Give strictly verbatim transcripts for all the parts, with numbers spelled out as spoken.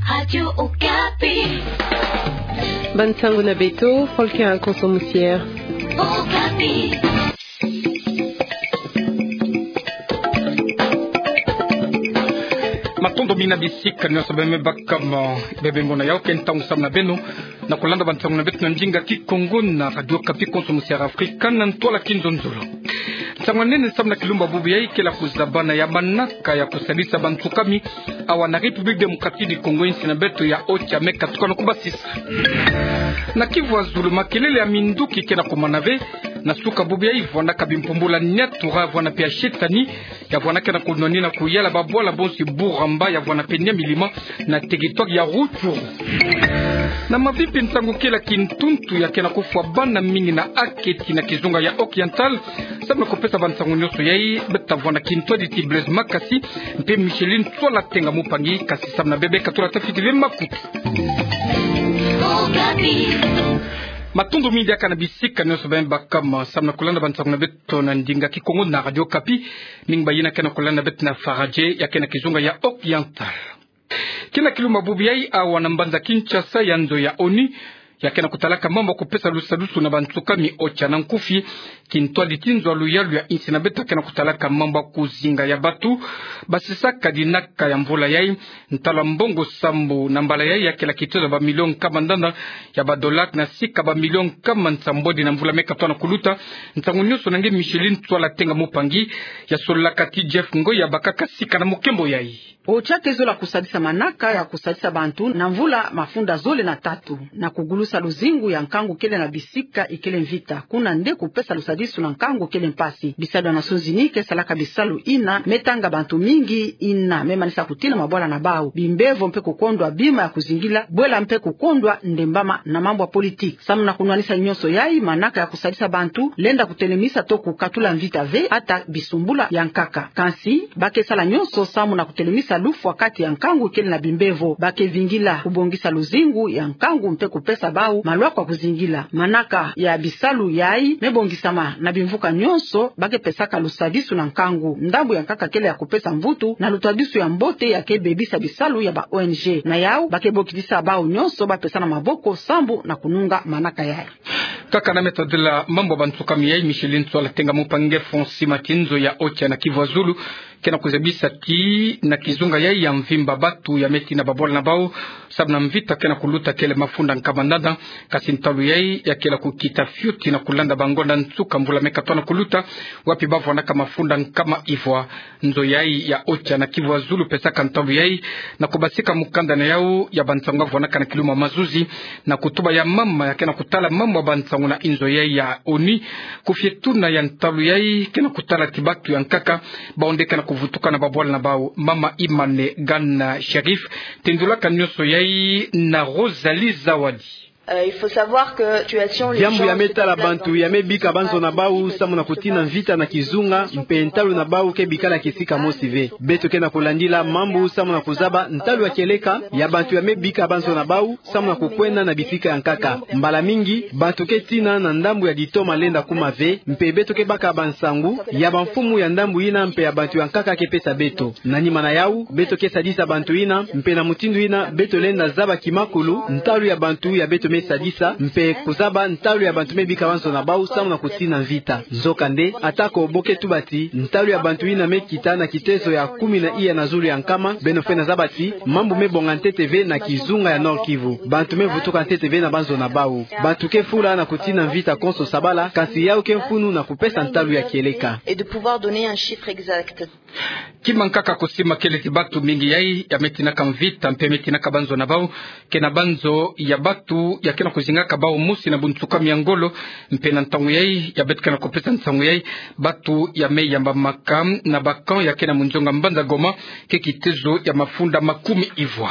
Radio Okapi. Bansango na beto, Volker Konso Musiere. Okapi. Matondo mingi na bisika nyonso bemebakama, bebemona yaoke ntangu samu na beno na kulanda bansango na beto na ndinga Kikongo na Radio Okapi, Konso Musiere Afrika na ntwala kinzonzolo. Nsangu nene samu na kilumbu bubu yayi kele ya kuzabana ya manaka ya kusadisa bansukami awa na République Démocratique du Congo, insi na beto ya Haut-Katanga, me katuka na kubasisa. Na Kivu ya Zulu, makelele ya minduki ke na kumana ve na suka bubu yayi, vwanaka bimpumbula niatura, vwana mpe ya shetani, ya vwana ke na kunwanina kuyala babwala bonso Buramba, ya vwana mpe Nyamilima na territoire ya Rutshuru. Na Mavimpi, nsangu kele ya kintuntu ya ke na kufwa bana mingi na aketi na kizunga ya Oriental. Samu na kupesa bansangu nyonso yayi, beta vwanda kintwadi ti Blaise Makasi mpe Micheline Tswala Tenga Mupangi, kasi samu na bebe katula tafiti ve makutu. Matondo mingi diaka na bisika nyonso bemebakama samu na kulanda bansangu na beto na ndinga Kikongo na Radio Okapi. Mingi bayina ke na kulanda beto na Faradje ya ke na kizunga ya Oriental. Kina kilumbu bubu yayi awa na mbanza Kinshasa, ya nzo ya ONU ya ke na kutalaka mambu ya kupesa lusadusu na bansukami, otsa na nkufi kintwadi ti nzo ya luyalu ya insi na beto ke na kutalaka mambu ya kuzinga ya batu basisaka dinaka ya mvula yayi, ntalu ya mbongo sambu na mbala yayi ya kele ya kitezo ya bamilio nkama ndanda ya badollar na sika bamilio nkama nsambwadi na mvula me katoa na kuluta. Nsangu nyonso na nge Micheline Tswala Tenga Mupangi ya sololaka ti Jeff Ngoy ya bakaka sika na mukembo yayi. Otsa ke zola kusadisa manaka ya kusadisa bantu na mvula mafunda zole na tatu, na kugulusa luzingu ya nkangu kele na bisika ikele mvita, kuna nde kupesa lusadisu na nkangu kele mpasi. Bisalu ya Nations Unies ke salaka bisalu ina me tanga bantu mingi ina me manisa kutina mabwala na bau, bimbevo mpe kukondwa bima ya kuzingila, bwela mpe kukondwa ndembama na mambu ya politique. Samu na kunwanisa nyonso yayi, manaka ya kusadisa bantu lenda kutelemisa to kukatula mvita ve, ata bisumbula ya nkaka. Kansi ba ke sala nyonso samu na kutelemisa lufwa kati ya nkangu kele na bimbevo. Ba ke vingila kubongisa luzingu ya nkangu mpe kupesa bau malwaku ya kuzingila. Manaka ya bisalu yayi me bongisama na bimvuka nyonso ba ke pesaka lusadisu na nkangu. Ndambu ya nkaka kele ya kupesa mvutu na lusadisu ya mbote ya ke bebisa bisalu ya ba ONG. Na yau, ba ke bokidisa bau nyonso ba pesana maboko sambu na kununga manaka yayi. Kaka na me tadila mambu ya bansukami yayi, Micheline Tswala Tenga Mupangi nge fwa sima ti nzo ya Otsa na Kivu ya Zulu ke na kuzabisa ti na kizunga yayi ya mvimba, batu ya me tina babwala na bau samu na mvita ke na kuluta kele mafunda nkama ndanda. Kasi ntalu yayi ya kele ya kukita fioti na kulanda bangonda nsuka mvula me katoa na kuluta, wapi ba vwanaka mafunda nkama ivwa. Nzo yayi ya Otsa na Kivu ya Zulu pesaka ntalu yayi na kubasika mukanda na yau ya bansangu ya vwanaka na kilumbu mazuzi na kutuba ya mama ya ke na kutala mambu ya bansangu na inzo yayi ya ONU, kufietuna ya ntalu yayi ke na kutala ti batu ya nkaka bau nde ke na kuvutuka na babwala na bau. Mama Imane Gana Sherif tendulaka nyonso yayi na Rosalie Zawadi. Euh, il faut savoir que situation, les Diambu ya me tala bantu ya me bika banzo na bau samu na kutina mvita na kizunga, mpe ntalu na bau ke bikala kisika mosi ve. Beto ke na kulandila mambu samu na kuzaba ntalu ya kieleka ya bantu ya me bika banzo na bau samu na kukwenda na bisika ya nkaka. Mbala mingi, bantu ke tina na ndambu ya ditoma lenda kuma ve, mpe beto ke baka bansangu ya bamfumu ya ndambu ina mpe ya bantu ya nkaka ke pesa beto. Na nima na yau, beto ke sadisa bantu ina, mpe na mutindu ina beto lenda zaba kimakulu ntalu ya bantu ya beto me sadisa, mpe kuzaba ntalu ya bantu me bika banzo na bau samu na kutina mvita. Nzokande, atako bo ke tuba ti ntalu ya bantu ina me kita na kitezo ya kumi na iya na zulu ya nkama, beno fwe na zaba ti mambu me bonga ntete ve na kizunga ya Nord-Kivu. Bantu me vutuka ntete ve na banzo na bau. Bantu ke fula na kutina mvita konso sabala, kansi yau ke mfunu na kupesa ntalu ya kieleka. Et de pouvoir donner un chiffre exact. Kima nkaka kusima kele ti batu mingi yayi ya me tinaka mvita mpe me tinaka banzo na bau, ke na banzo ya batu ya ke na kuzingaka bau mosi na bunsukami ya ngolo. Mpe na ntangu yayi ya beto ke na kupesa nsangu yayi, batu ya me yambamaka na ba camp ya ke na munzonga mbanza Goma ke kitezo ya mafunda makumi ivwa.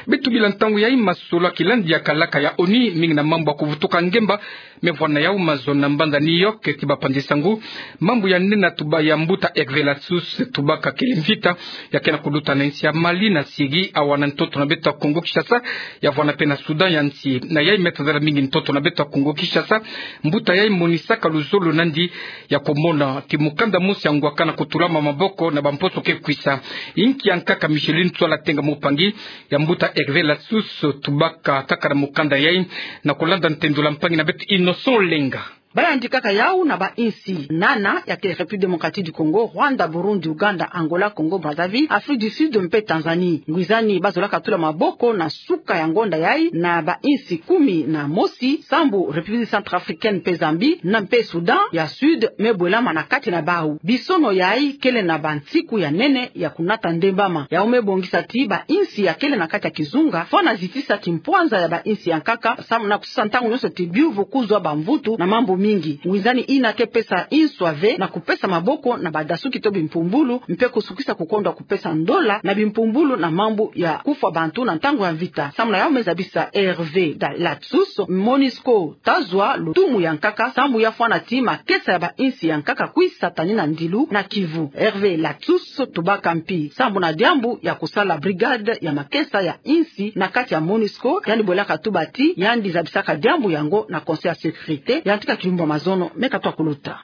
Beto bila ntangu yayi masolo ya kilandi ya kalaka ya ONU, mingi na mambu ya kuvutuka ngemba, me vwa na yau mazono na mbanza New York ti bapanzi nsangu. Mambu ya nene na tuba ya mbuta Hervé Latsous, tubaka kele mvita ya ke na kuluta na insi ya Mali, na Syrie, awa na ntoto na beto ya Congo Kinshasa, ya vwa na mpe na Soudan ya nsi. Na yayi me tadala mingi ntoto na beto ya Congo Kinshasa, mbuta yayi monisaka luzolo nandi ya kumona ti mukanda mosi ya ngwaka na kutulama maboko na bamposo ke kwisa. Inki ya nkaka Micheline Tswala Tenga Mupangi ya mbuta Hervé Latsous tubaka kaka na mukanda yai, na kulanda ntendula mpangi na beto Innocent Olenga. Bala yandi kaka yau na bainsi nana, ya kele République Démocratique du Congo, Rwanda, Burundi, Ouganda, Angola, Congo Brazzaville, Afrique du Sud mpe Tanzanie. Ngwizani bazolaka tula maboko na suka ya ngonda yai na bainsi kumi na mosi, sambu République Centrafricaine mpe Zambie, na mpe Soudan ya Sud me bwelama na kati na bau. Bisono yai kele na bansiku ya nene ya kunata ndembama. Yau me bongisa ti bainsi ya kele na kati ya kizunga fwana zitisa kimpwanza ya bainsi ya nkaka, samu na kusisa ntangu nyonso ti biuvu kuzwa bamvutu na mambu mingi. Ngwizani ina ke pesa inswa ve na kupesa maboko na badasuki to bimpumbulu, mpe kusukisa kukondwa kupesa ndola na bimpumbulu na mambu ya kufwa bantu na ntangu ya mvita. Samu na yau me zabisa Hervé Latsous, MONUSCO ta zwa lutumu ya nkaka, sambu ya fwana ti makesa ya bainsi ya nkaka kwisa tani na ndilu na Kivu. Hervé Latsous tubaka mpi sambu na diambu ya kusala brigade ya makesa ya insi na kati ya MONUSCO, yandi bwelaka tuba ti yandi zabisaka diambu yango na Conseil ya sécurité, yantika kilumbu ya mazono meka twa kuluta.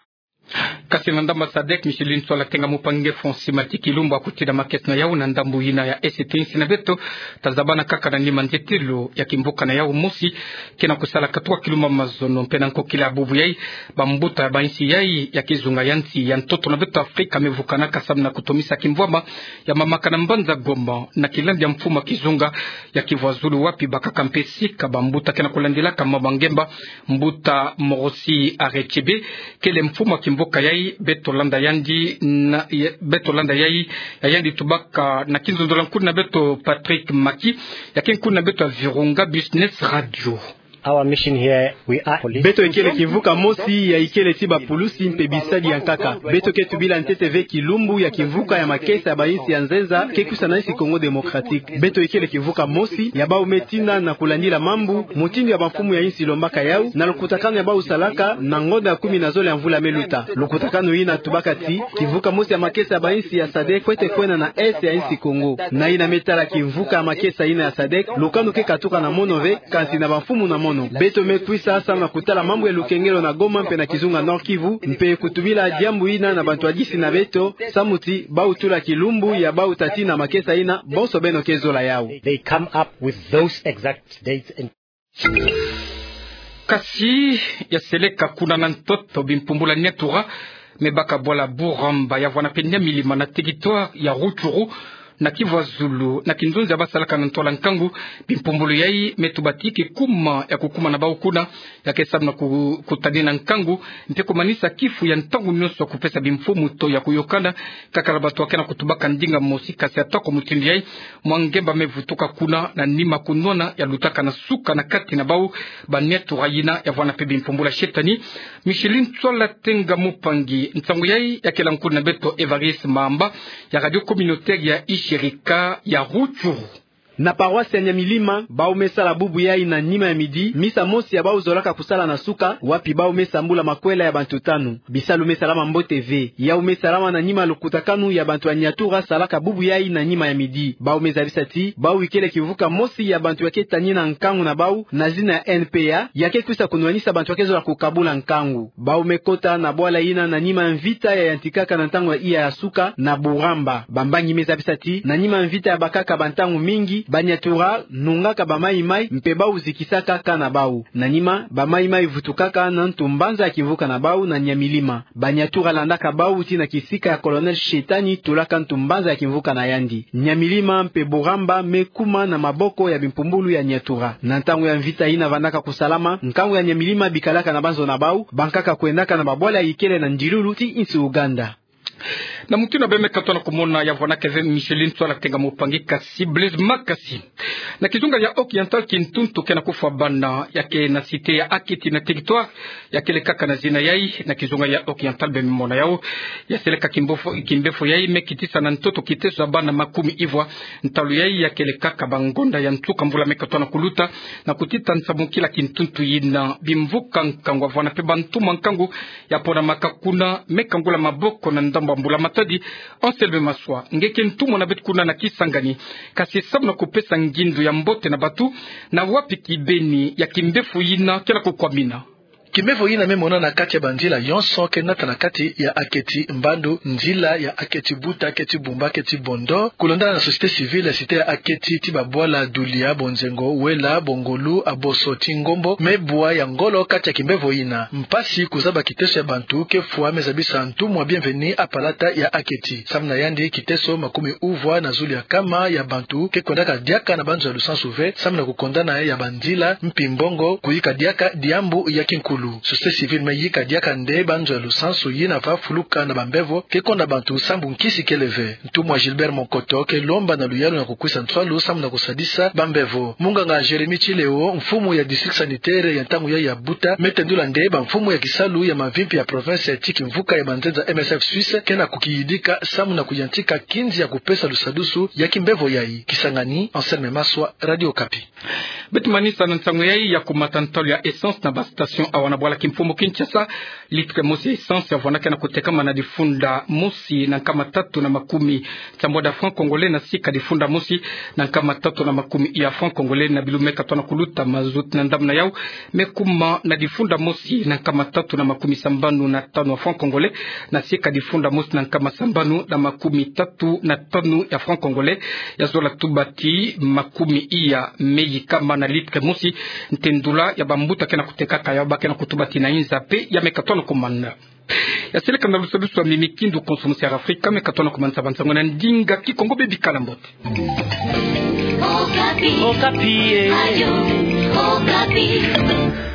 Kasi na ndambu ya sadek, Micheline Tswala Tenga Mupangi nge fonsi mati kilumbu ya kutina makesa na yau na ndambu yina ya Est ya insi na beto. Tazabana kaka na nima ntetelo ya kimvuka na yau. Mosi, ke na kusala katuka kilumbu ya mazono mpe na nkokila ya bubu yai, bambuta ya bainsi yai ya kizunga ya nsi ya ntoto na beto Afrika me vukanaka samu na kutomisa kimvwama ya mamaka na mbanza Goma, na kilandi ya mfumu ya kizunga ya Kivu ya Zulu, wapi bakaka mpe sika bambuta ke na kulandilaka mambu ya ngemba. Mbuta Morosi Arechebe kele mfumu ya kimvuka yai. Beto landa yandi na, ya, beto landa yai, ya yandi tubaka na kinzonzolo ya nkuni na beto Patrick Maki, ya ke nkuni na beto ya Virunga Business Radio. Our mission here, we are police. Beto ikele kimvuka mosi ya ikele ti bapulusi mpe bisadi ya nkaka. Beto ke tubila ntete ve kilumbu ya kimvuka ya makesa ya bainsi ya nzenza ke kwisa na insi Congo Démocratique. Beto ikele kimvuka mosi ya bau me tina na kulandila mambu, mutindu ya bamfumu ya insi lombaka yau, na lukutakanu ya bau salaka na ngonda ya kumi na zole ya mvula me luta. Lukutakanu yina tubaka ti kimvuka mosi ya makesa ya bainsi ya sadek kwete kwenda na Est ya insi Congo. Na yina me tala kimvuka ya makesa yina ya sadek, lukanu ke katuka na mono ve, kansi na bamfumu na mono. Beto me kwisa samu na kutala mambu ya lukengelo na Goma mpe na kizunga Nord-Kivu, mpe kutubila diambu yina na bantu ya disi na beto, samu ti bau tula kilumbu ya bau tati na makesa yina, bonso beno ke zola yau. They come up with those exact dates and Kasi ya seleka kuna na ntoto bimpumbulu ya niatura me baka bwala Buramba, ya vwanda mpe Nyamilima na territoire ya Rutshuru, na Kivu ya Zulu, na kinzonzi ya bau salaka na ntwala nkangu. Bimpumbulu yai me tuba ti ke kuma ya kukuma na bau kuna, ya ke samu na ku-, kutadina nkangu, mpe kumanisa kifu ya ntangu nyonso ya kupesa bimfumu to ya kuyokana, kaka na bantu ya ke na kutubaka ndinga mosi. Kasi atako mutindu yai, mwa ngemba me vutuka kuna, na nima kunwana ya lutaka na suka na kati na bau baniatura yina, ya vwanda mpe bimpumbulu ya shetani. Micheline Tswala Tenga Mupangi, nsangu yai ya kela nkuni na beto Evariste Mamba, ya radio communautaire ya Ishirika ya Rutshuru. Na paroisse ya Nyamilima, bau me sala bubu yai na nima ya midi misa mosi ya bau zolaka kusala na suka, wapi bau me sambula makwela ya bantu tanu. Bisalu me salama mbote ve. Yau me salama na nima lukutakanu ya bantu ya niatura salaka bubu yai na nima ya midi. Bau me zabisa ti bau ikele kimvuka mosi ya bantu ya ke tanina nkangu na bau na zina ya N P A, ya ke kwisa kunwanisa bantu ya ke zola kukabula nkangu. Bau me kota na bwala yina na nima ya mvita ya yantikaka na ntangu ya iya ya suka na Buramba. Bambangi me zabisa ti na nima ya mvita ya bakaka bantangu mingi, baniatura nungaka bamaimai mpe bau zikisaka camp na bau. Na nima, bamaimai vutukaka na ntu mbanza ya kimvuka na bau na Nyamilima. Baniatura landaka bau tii na kisika ya Colonel Shetani, tulaka ntu mbanza ya kimvuka na yandi. Nyamilima mpe Buramba me kuma na maboko ya bimpumbulu ya niatura. Na ntangu ya mvita yina vandaka kusalama, nkangu ya Nyamilima bikalaka na banzo na bau, bankaka kwendaka na babwala ikele na ndilulu tii insi Ouganda. Na mutindu beno me katuka na kumona, ya vwanaka ve Micheline Tswala Tenga Mupangi, kasi Blaise Makasi. Na kizunga ya Occidental, kintuntu ke na kufwa bana ya ke na cité ya Akiti na territoire ya kele kaka na zina yai. Na kizunga ya Occidental beno me mona yau, ya seleka kimbefo, kimbefo yai me kitisa na ntoto kiteso ya bana makumi ivwa. Ntalu yai ya kele kaka bangonda ya nsuka mvula me katuka na kuluta, na kutita nsamukila kintuntu yina. Bimvuka nkangu, ya vwanda mpe bantumwa nkangu, ya ponamaka kuna, me kangula maboko na ndambu ya mbula-matadi. Anselme Maswa, nge ke ntumwa na beto kuna na Kisangani, kasi samu na kupesa ngindu ya mbote na bantu, na wapi kibeni ya kimbefo yina ke na kukwamina? Kimbevo yina me mona na kati ya banzila yonso ke nata na kati ya Aketi, Mbandu, nzila ya Aketi Buta, Aketi Bumba, Aketi Bondo. Kulonda na société civile ya cité ya Aketi, ti babwala Dulia, Bonzengo, Wela, Bongolu, Aboso, ti Ngombo, me bwa ya ngolo kati ya kimbevo yina. Mpasi kuzaba kiteso ya bantu ke fwa, me zabisa ntumwa Bienvenu, apalata ya Aketi. Samu na yandi, kiteso makumi uvwa na zulu ya kama ya bantu ke kwendaka diaka na banzo ya lusansu ve, samu na kukondana ya banzila, mpi mbongo, kuyika diaka diambu ya kinkulu. Société civile me yika diaka nde banzo ya lusansu yina va fuluka na bambevo ke konda bantu sambu nkisi kele ve. Ntumwa Gilbert Monkoto ke lomba na luyalu na kukwisa nswalu samu na kusadisa bambevo. Munganga Jérémie Tchileo, mfumu ya district sanitaire ya ntangu ya ya Buta, me tendula nde bamfumu ya kisalu ya mavimpi ya province ya tiki mvuka ya banzenza M S F Suisse ke na kukiyidika samu na kuyantika kinzi ya kupesa lusadusu ya kimbevo yayi. Kisangani, Anselme Maswa, Radio Okapi. Beto manisa na nsangu yayi ya kumata ntalu ya essence na ba station awa na bwala kimfumu Kinshasa. Litre mosi ya essence ya vwanda ke na kutekama na difunda mosi na nkama tatu na makumi sambwadi ya francs congolais, na sika difunda mosi na nkama tatu na makumi ya francs congolais. Na bilu me katoa na kuluta, mazout na ndambu na yau me kuma na difunda mosi na nkama tatu na makumi sambanu na tanu ya francs congolais, na sika difunda mosi na nkama sambanu na makumi tatu na tanu ya francs congolais. Ya zola tuba ti makumi iya me yikama na litre mosi. Ntendula ya bambuta ke na kutekaka yau, ba ke na kutuba ti na inza pe ya me katoa na kumana. Ya seleka na lusadusu ya mimi kindu konso musi ya Afrika, me katoa na kumanisa bansangu na ndinga Kikongo. Bebikala mbote. Okapi. Okapi, eh. Radio Okapi.